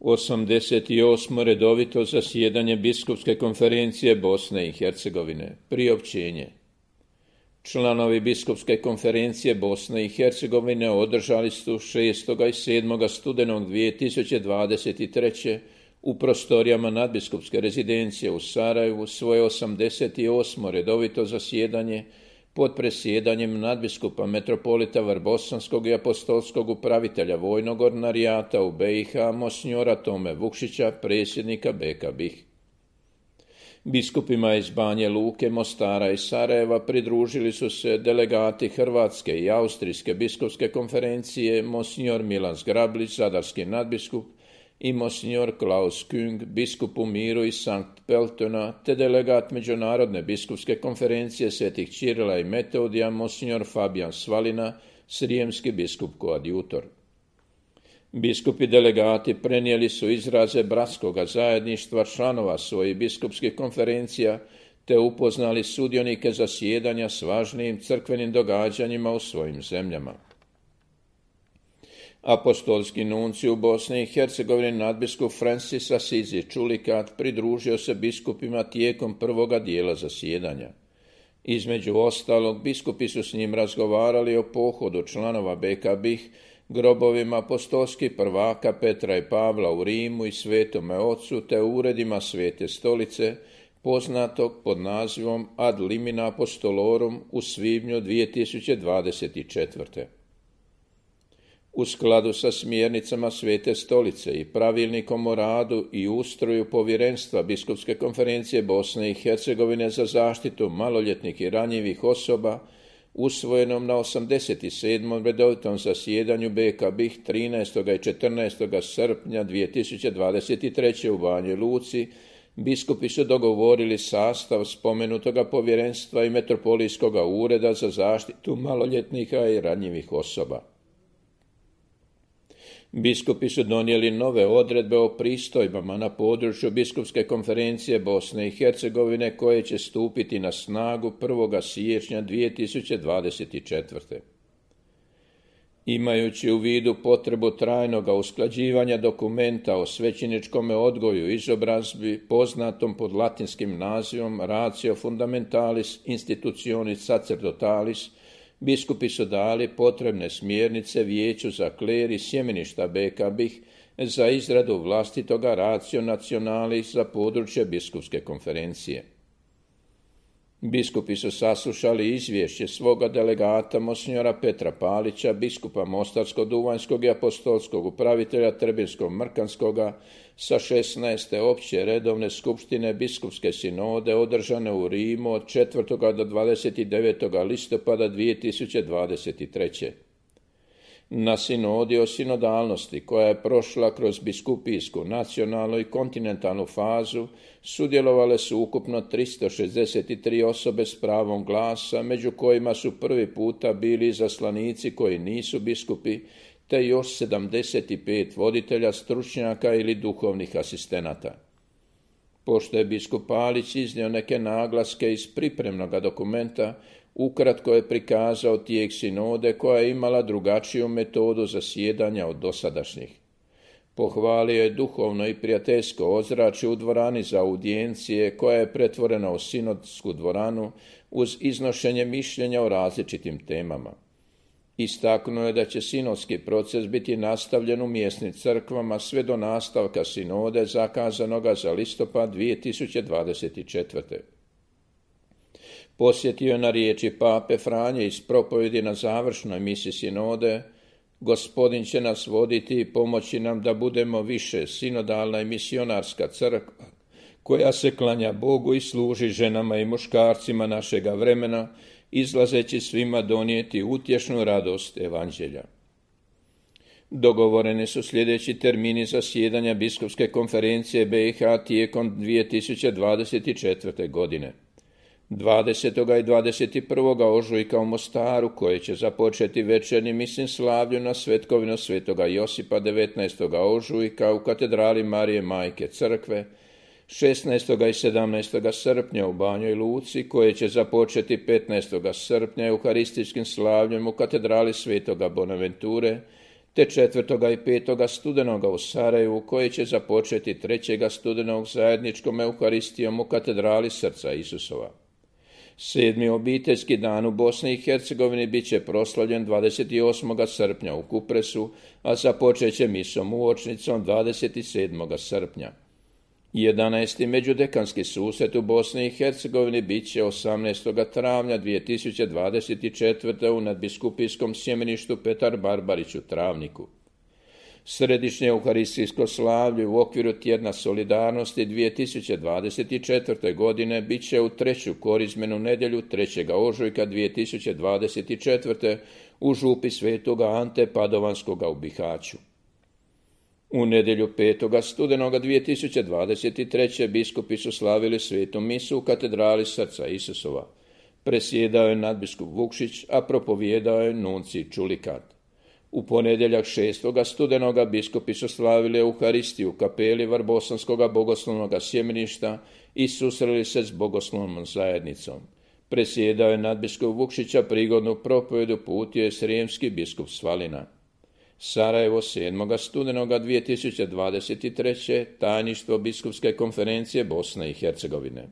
88. redovito zasjedanje Biskupske konferencije Bosne i Hercegovine. Priopćenje. Članovi Biskupske konferencije Bosne i Hercegovine održali su 6. i 7. studenog 2023. u prostorijama nadbiskupske rezidencije u Sarajevu svoje 88. redovito zasjedanje pod presjedanjem nadbiskupa metropolita Vrbosanskog i apostolskog upravitelja vojnog ordinarijata u BiH monsinjora Tome Vukšića, predsjednika BK BiH. Biskupima iz Banje Luke, Mostara i Sarajeva pridružili su se delegati Hrvatske i Austrijske biskupske konferencije, monsinjor Milan Zgrablić, zadarski nadbiskup, i monsinjor Klaus Küng, biskup u Miru iz Sankt Peltona, te delegat Međunarodne biskupske konferencije Svetih Čirila i Metodija, monsinjor Fabijan Svalina, srijemski biskup koadjutor. Biskupi delegati prenijeli su izraze bratskoga zajedništva članova svojih biskupskih konferencija, te upoznali sudionike zasjedanja s važnijim crkvenim događanjima u svojim zemljama. Apostolski nuncij u Bosni i Hercegovini nadbiskup Francis Asizi Čulikat pridružio se biskupima tijekom prvoga dijela zasjedanja. Između ostalog, biskupi su s njim razgovarali o pohodu članova BK BiH, grobovima apostolskih prvaka Petra i Pavla u Rimu i Svetome Ocu, te uredima Svete Stolice, poznatog pod nazivom Ad limina apostolorum u svibnju 2024. U skladu sa smjernicama Svete Stolice i pravilnikom o radu i ustroju povjerenstva Biskupske konferencije Bosne i Hercegovine za zaštitu maloljetnih i ranjivih osoba, usvojenom na 87. redovitom zasjedanju BK BiH 13. i 14. srpnja 2023. u Banji Luci, biskupi su dogovorili sastav spomenutoga povjerenstva i metropolijskoga ureda za zaštitu maloljetnika i ranjivih osoba. Biskupi su donijeli nove odredbe o pristojbama na području Biskupske konferencije Bosne i Hercegovine koje će stupiti na snagu 1. siječnja 2024. Imajući u vidu potrebu trajnoga usklađivanja dokumenta o svećeničkom odgoju i izobrazbi, poznatom pod latinskim nazivom Ratio Fundamentalis Institutionis Sacerdotalis, biskupi su dali potrebne smjernice Vijeću za kler i sjemeništa BK BiH za izradu vlastitoga Ratio Nationalis za područje Biskupske konferencije. Biskupi su saslušali izvješće svoga delegata monsinjora Petra Palića, biskupa Mostarsko-Duvanjskog i apostolskog upravitelja Trebinsko-Mrkanskoga sa 16. opće redovne skupštine Biskupske sinode održane u Rimu od 4. do 29. listopada 2023. Na sinodi o sinodalnosti, koja je prošla kroz biskupijsku, nacionalnu i kontinentalnu fazu, sudjelovale su ukupno 363 osobe s pravom glasa, među kojima su prvi puta bili izaslanici koji nisu biskupi, te još 75 voditelja, stručnjaka ili duhovnih asistenata. Pošto je biskup Palić iznio neke naglaske iz pripremnog dokumenta, ukratko je prikazao tijek sinode koja je imala drugačiju metodu zasjedanja od dosadašnjih. Pohvalio je duhovno i prijateljsko ozračje u dvorani za audijencije koja je pretvorena u sinodsku dvoranu uz iznošenje mišljenja o različitim temama. Istaknuo je da će sinodski proces biti nastavljen u mjesnim crkvama sve do nastavka sinode zakazanoga za listopad 2024. Posjetio je na riječi Pape Franje iz propovjedi na završnoj misi sinode: Gospodin će nas voditi i pomoći nam da budemo više sinodalna i misionarska crkva, koja se klanja Bogu i služi ženama i muškarcima našega vremena, izlazeći svima donijeti utješnu radost evanđelja. Dogovoreni su sljedeći termini zasjedanja Biskupske konferencije BiH tijekom 2024. godine. 20. i 21. ožujka u Mostaru, koje će započeti večernjim misijim slavlju na svetkovinu svetoga Josipa 19. ožujka u katedrali Marije Majke crkve, 16. i 17. srpnja u Banjoj Luci, koje će započeti 15. srpnja euharističkim slavljem u katedrali svetoga Bonaventure, te 4. i 5. studenoga u Sarajevu, koji će započeti 3. studenog zajedničkom euharistijom u katedrali Srca Isusova. 7. obiteljski dan u Bosni i Hercegovini bit će proslavljen 28. srpnja u Kupresu, a započet će misom uočnicom 27. srpnja. 11. međudekanski susret u Bosni i Hercegovini bit će 18. travnja 2024. u nadbiskupijskom sjemeništu Petar Barbarić u Travniku. Središnje euharistijsko slavlje u okviru tjedna solidarnosti 2024. godine bit će u 3. korizmenu nedjelju 3. ožujka 2024. u župi Svetoga Ante Padovanskoga u Bihaću. U nedjelju 5. studenoga 2023. biskupi su slavili svetu misu u katedrali Srca Isusova. Presjedao je nadbiskup Vukšić, a propovijedao je nunci Čulikat. U ponedjeljak 6. studenoga biskupi su slavili Euharistiju u kapeli Varbosanskoga bogoslovnog sjemeništa i susreli se s bogoslovnom zajednicom. Presjedao je nadbiskup Vukšića, prigodnu propovedu putio je srijemski biskup Svalina. Sarajevo 7. studenoga 2023. tajništvo biskupske konferencije Bosne i Hercegovine.